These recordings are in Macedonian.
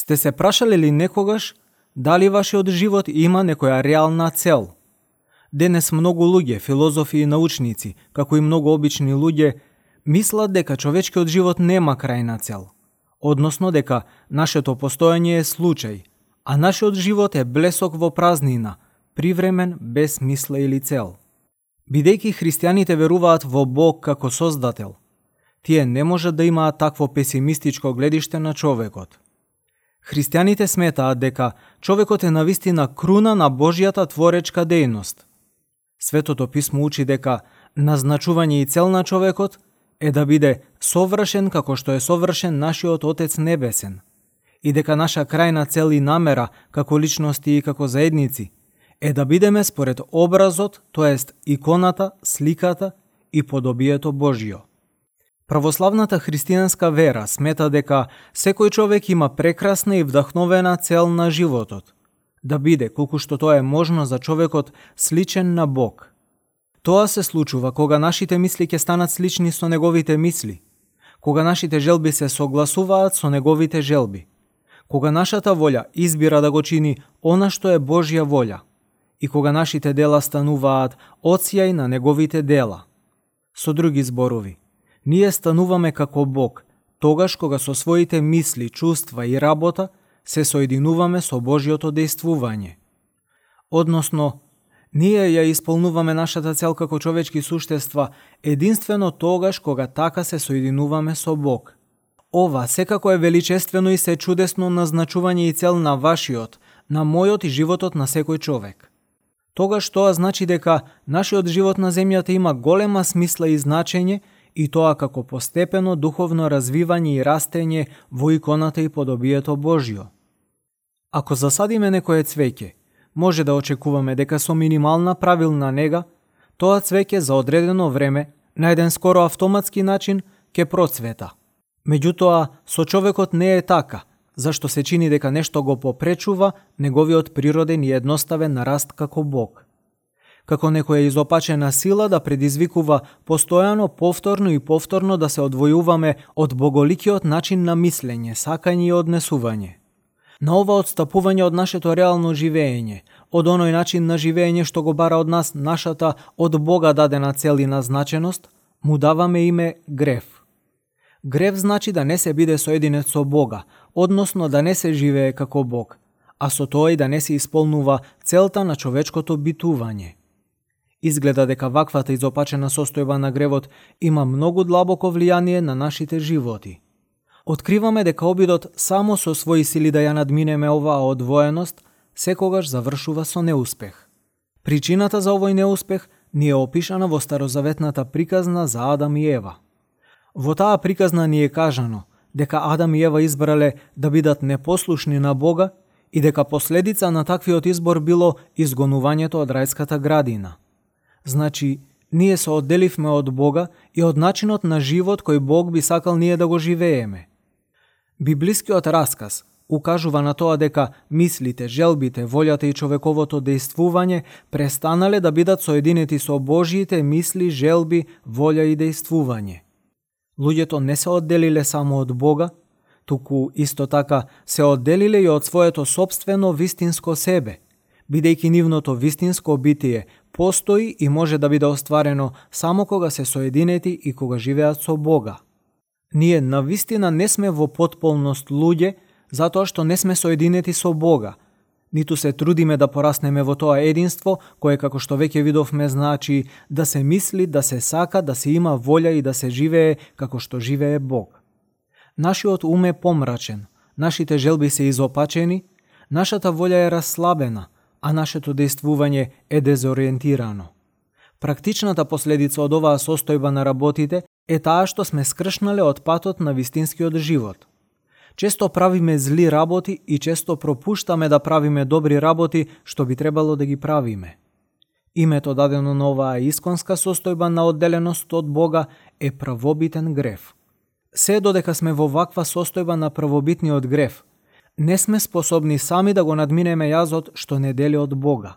Сте се прашале ли некогаш дали вашиот живот има некоја реална цел? Денес многу луѓе, филозофи и научници, како и многу обични луѓе, мислат дека човечкиот живот нема крајна цел, односно дека нашето постоење е случај, а нашиот живот е блесок во празнина, привремен, без мисла или цел. Бидејќи христијаните веруваат во Бог како создател, тие не можат да имаат такво песимистичко гледиште на човекот. Христијаните сметаат дека човекот е навистина круна на Божјата творечка дејност. Светото писмо учи дека назначување и цел на човекот е да биде совршен како што е совршен нашиот Отец Небесен и дека наша крајна цел и намера како личности и како заедници е да бидеме според образот, тоест иконата, сликата и подобието Божјо. Православната христијанска вера смета дека секој човек има прекрасна и вдахновена цел на животот, да биде, колку што тоа е можно за човекот, сличен на Бог. Тоа се случува кога нашите мисли ќе станат слични со неговите мисли, кога нашите желби се согласуваат со неговите желби, кога нашата волја избира да го чини она што е Божја волја и кога нашите дела стануваат одсјај на неговите дела. Со други зборови, ние стануваме како Бог, тогаш кога со своите мисли, чувства и работа се соединуваме со Божјото дејствување. Односно, ние ја исполнуваме нашата цел како човечки суштества единствено тогаш кога така се соединуваме со Бог. Ова секако е величествено и се чудесно назначување и цел на вашиот, на мојот и животот на секој човек. Тогаш тоа значи дека нашиот живот на земјата има голема смисла и значење, и тоа како постепено духовно развивање и растење во иконата и подобието Божјо. Ако засадиме некое цвеќе, може да очекуваме дека со минимална правилна нега, тоа цвеќе за одредено време, на еден скоро автоматски начин, ќе процвета. Меѓутоа, со човекот не е така, зашто се чини дека нешто го попречува неговиот природен и едноставен раст како Бог. Како некоја изопачена сила да предизвикува постојано, повторно и повторно да се одвојуваме од боголикиот начин на мислење, сакање и однесување. На ова одстапување од нашето реално живеење, од оној начин на живеење што го бара од нас нашата од Бога дадена цел и назначеност, му даваме име грев. Грев значи да не се биде соединет со Бога, односно да не се живее како Бог, а со тоа и да не се исполнува целта на човечкото битување. Изгледа дека ваквата изопачена состојба на гревот има многу длабоко влијание на нашите животи. Откриваме дека обидот само со своји сили да ја надминеме оваа одвоеност секогаш завршува со неуспех. Причината за овој неуспех ни е опишана во старозаветната приказна за Адам и Ева. Во таа приказна ни е кажано дека Адам и Ева избрале да бидат непослушни на Бога и дека последица на таквиот избор било изгонувањето од рајската градина. Значи, ние се одделивме од Бога и од начинот на живот кој Бог би сакал ние да го живееме. Библискиот расказ укажува на тоа дека мислите, желбите, волјата и човековото дејствување престанале да бидат соединети со Божјите мисли, желби, волја и дејствување. Луѓето не се одделиле само од Бога, туку исто така се одделиле и од своето сопствено вистинско себе, бидејќи нивното вистинско битие постои и може да биде остварено само кога се соединети и кога живеат со Бога. Ние навистина не сме во потполност луѓе, затоа што не сме соединети со Бога, ниту се трудиме да пораснеме во тоа единство, кое, како што веќе видовме, значи да се мисли, да се сака, да се има волја и да се живее како што живее Бог. Нашиот ум е помрачен, нашите желби се изопачени, нашата волја е расслабена, а нашето дејствување е дезориентирано. Практичната последица од оваа состојба на работите е таа што сме скршнале од патот на вистинскиот живот. Често правиме зли работи и често пропуштаме да правиме добри работи што би требало да ги правиме. Името дадено на оваа исконска состојба на одделеност од Бога е правобитен грев. Се додека сме во ваква состојба на правобитниот грев, не сме способни сами да го надминеме јазот што не дели од Бога.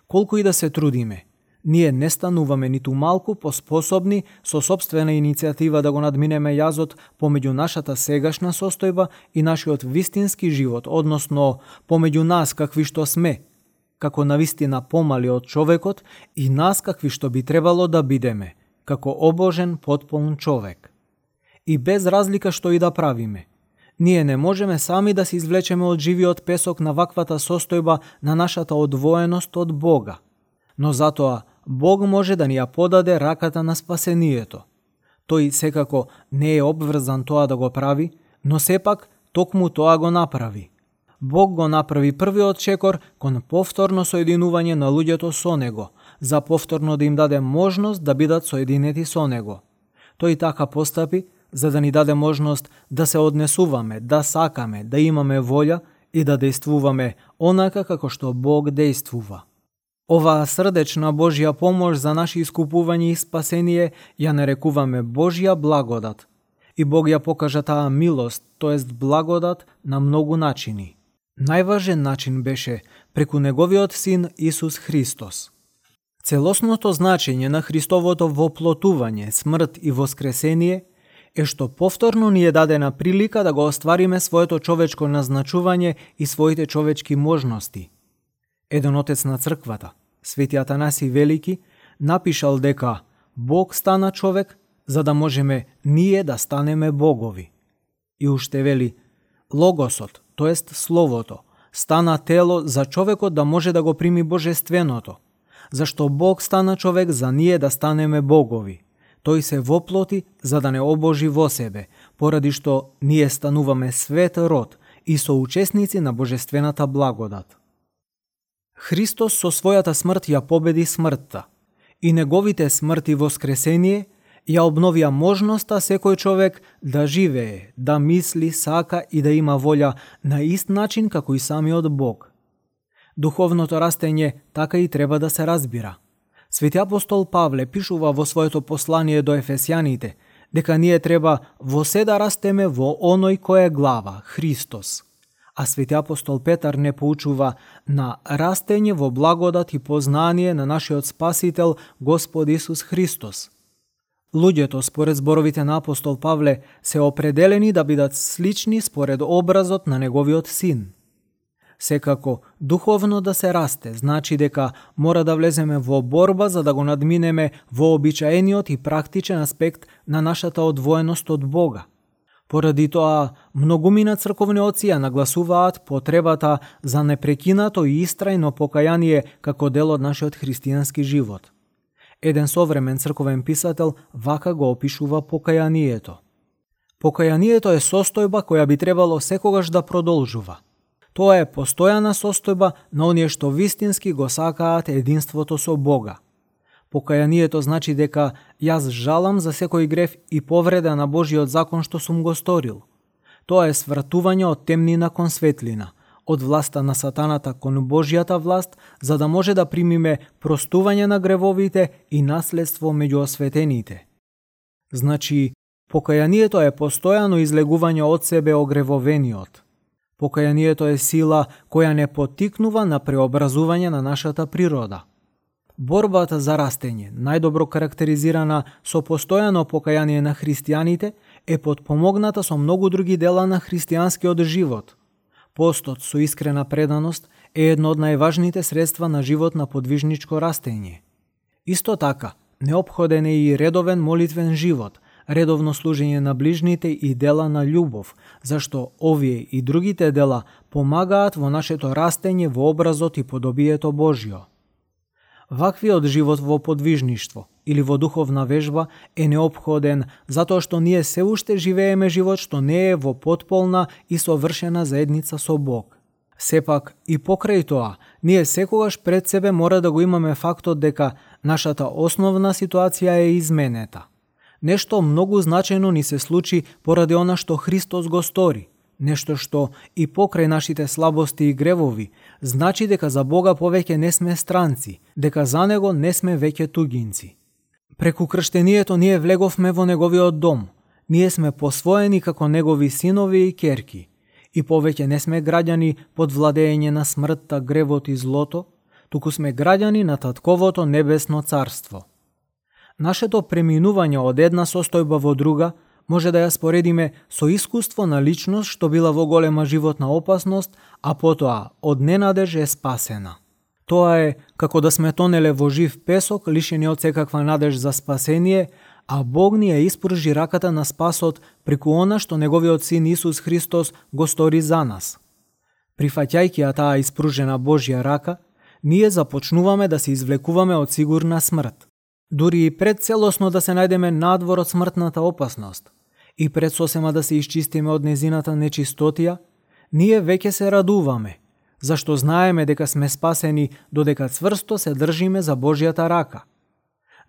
Колку и да се трудиме, Ние не стануваме ниту малку поспособни со сопствена иницијатива да го надминеме јазот помеѓу нашата сегашна состојба и нашиот вистински живот, односно помеѓу нас какви што сме, како навистина помали од човекот, и нас какви што би требало да бидеме, како обожен потполн човек. И без разлика што и да правиме, ние не можеме сами да се извлечеме од живиот песок на ваквата состојба на нашата одвоеност од Бога. Но затоа Бог може да ни ја подаде раката на спасението. Тој секако не е обврзан тоа да го прави, но сепак токму тоа го направи. Бог го направи првиот чекор кон повторно соединување на луѓето со Него, за повторно да им даде можност да бидат соединети со Него. Тој така постапи за да ни даде можност да се однесуваме, да сакаме, да имаме волја и да действуваме онака како што Бог действува. Оваа срдечна Божја помош за наши искупување и спасение ја нарекуваме Божја благодат. И Бог ја покажа таа милост, тоест благодат, на многу начини. Најважен начин беше преку Неговиот Син Исус Христос. Целосното значење на Христовото воплотување, смрт и воскресение е што повторно ни е дадена прилика да го оствариме своето човечко назначување и своите човечки можности. Еден отец на црквата, Свети Атанаси Велики, напишал дека Бог стана човек за да можеме ние да станеме богови. И уште вели, Логосот, тоест Словото, стана тело за човекот да може да го прими божественото, зашто Бог стана човек за ние да станеме богови. Тој се воплоти за да не обожи во себе, поради што ние стануваме свет род и соучесници на божествената благодат. Христос со својата смрт ја победи смртта и Неговите смрт и воскресение ја обновија можноста секој човек да живее, да мисли, сака и да има волја на ист начин како и самиот Бог. Духовното растење така и треба да се разбира. Свети апостол Павле пишува во своето послание до Ефесјаните дека ние треба во се да растеме во оној кој е глава, Христос. А свети апостол Петар не поучува на растење во благодат и познание на нашиот Спасител Господ Исус Христос. Луѓето, според зборовите на апостол Павле, се определени да бидат слични според образот на Неговиот Син. Секако, духовно да се расте, значи дека мора да влеземе во борба за да го надминеме вообичаениот и практичен аспект на нашата одвоеност од Бога. Поради тоа, многумина црковни отци ја нагласуваат потребата за непрекинато и истрајно покаяние како дел од нашиот христијански живот. Еден современ црковен писател вака го опишува покаянието. Покаянието е состојба која би требало секогаш да продолжува. Тоа е постојана состојба на оние што вистински го сакаат единството со Бога. Покаянието значи дека јас жалам за секој грев и повреда на Божиот закон што сум го сторил. Тоа е свртување од темнина кон светлина, од власта на сатаната кон Божјата власт, за да може да примиме простување на гревовите и наследство меѓу осветените. Значи, покаянието е постојано излегување од себе огревовениот. Покаянието е сила која не поттикнува на преобразување на нашата природа. Борбата за растење, најдобро карактеризирана со постојано покаяние на христијаните, е потпомогната со многу други дела на христијанскиот живот. Постот со искрена преданост е едно од најважните средства на живот на подвижничко растење. Исто така, неопходен е и редовен молитвен живот, редовно служење на ближните и дела на љубов, зашто овие и другите дела помагаат во нашето растење во образот и подобието Божјо. Ваквиот живот во подвижништво или во духовна вежба е неопходен затоа што ние се уште живееме живот што не е во потполна и совршена заедница со Бог. Сепак и покрај тоа, ние секогаш пред себе мора да го имаме фактот дека нашата основна ситуација е изменета. Нешто многу значајно ни се случи поради она што Христос го стори. Нешто што и покрај нашите слабости и гревови, значи дека за Бога повеќе не сме странци, дека за Него не сме веќе тугинци. Преку крштението ние влеговме во Неговиот дом. Ние сме посвоени како Негови синови и керки. И повеќе не сме граѓани под владење на смртта, гревот и злото, туку сме граѓани на Татковото небесно царство. Нашето преминување од една состојба во друга може да ја споредиме со искуство на личност што била во голема животна опасност, а потоа од ненадеж е спасена. Тоа е како да сме тонеле во жив песок, лишени од секаква надеж за спасение, а Бог ни ја испружи раката на спасот преку она што Неговиот Син Исус Христос го стори за нас. Прифаќајќи ја таа испружена Божја рака, ние започнуваме да се извлекуваме од сигурна смрт. Дури и пред целосно да се најдеме надвор од смртната опасност и пред сосема да се исчистиме од незината нечистотија, ние веќе се радуваме, зашто знаеме дека сме спасени додека цврсто се држиме за Божјата рака.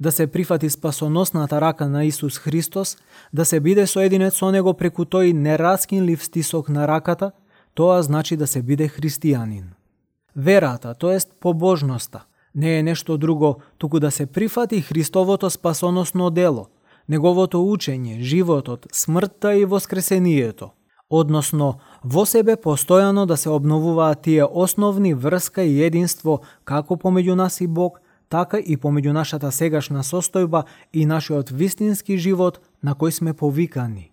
Да се прифати спасоносната рака на Исус Христос, да се биде соединет со Него преку тој нераскинлив стисок на раката, тоа значи да се биде христијанин. Верата, тоест побожноста, не е нешто друго, туку да се прифати Христовото спасоносно дело, Неговото учење, животот, смртта и воскресението. Односно, во себе постојано да се обновуваат тие основни врска и единство како помеѓу нас и Бог, така и помеѓу нашата сегашна состојба и нашиот вистински живот на кој сме повикани.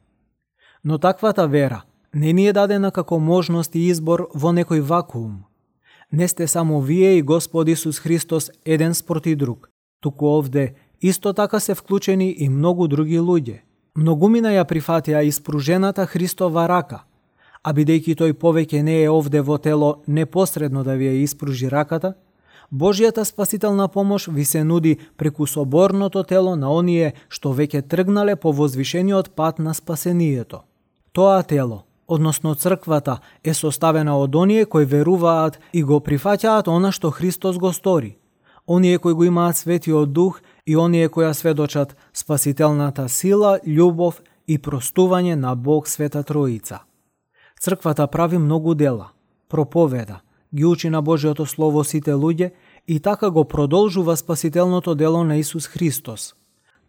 Но таквата вера не ни е дадена како можност и избор во некој вакуум. Не сте само вие и Господ Исус Христос еден спроти друг, туку овде исто така се вклучени и многу други луѓе. Многумина ја прифатија испружената Христова рака, а бидејќи тој повеќе не е овде во тело непосредно да ви ја испружи раката, Божјата спасителна помош ви се нуди преку соборното тело на оние што веќе тргнале по возвишениот пат на спасението. Тоа тело, односно црквата, е составена од оние кои веруваат и го прифаќаат она што Христос го стори, оние кои го имаат Светиот Дух и оние кои ја сведочат спасителната сила, љубов и простување на Бог Света Троица. Црквата прави многу дела, проповеда, ги учи на Божјото Слово сите луѓе и така го продолжува спасителното дело на Исус Христос.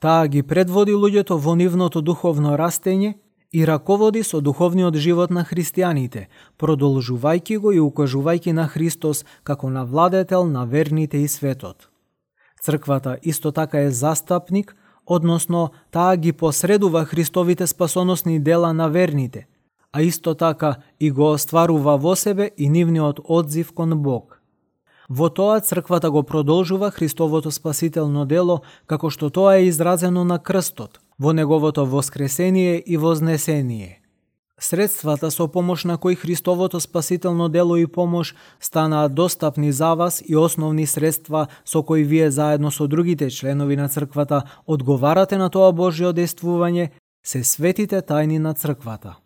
Таа ги предводи луѓето во нивното духовно растење и раководи со духовниот живот на христијаните, продолжувајќи го и укажувајќи на Христос како на владетел на верните и светот. Црквата исто така е застапник, односно таа ги посредува Христовите спасоносни дела на верните, а исто така и го остварува во себе и нивниот одзив кон Бог. Во тоа црквата го продолжува Христовото спасително дело како што тоа е изразено на крстот, во Неговото воскресение и вознесение. Средствата со помош на кои Христовото спасително дело и помош станаат достапни за вас и основни средства со кои вие заедно со другите членови на црквата одговарате на тоа Божјо действување, се светите тајни на црквата.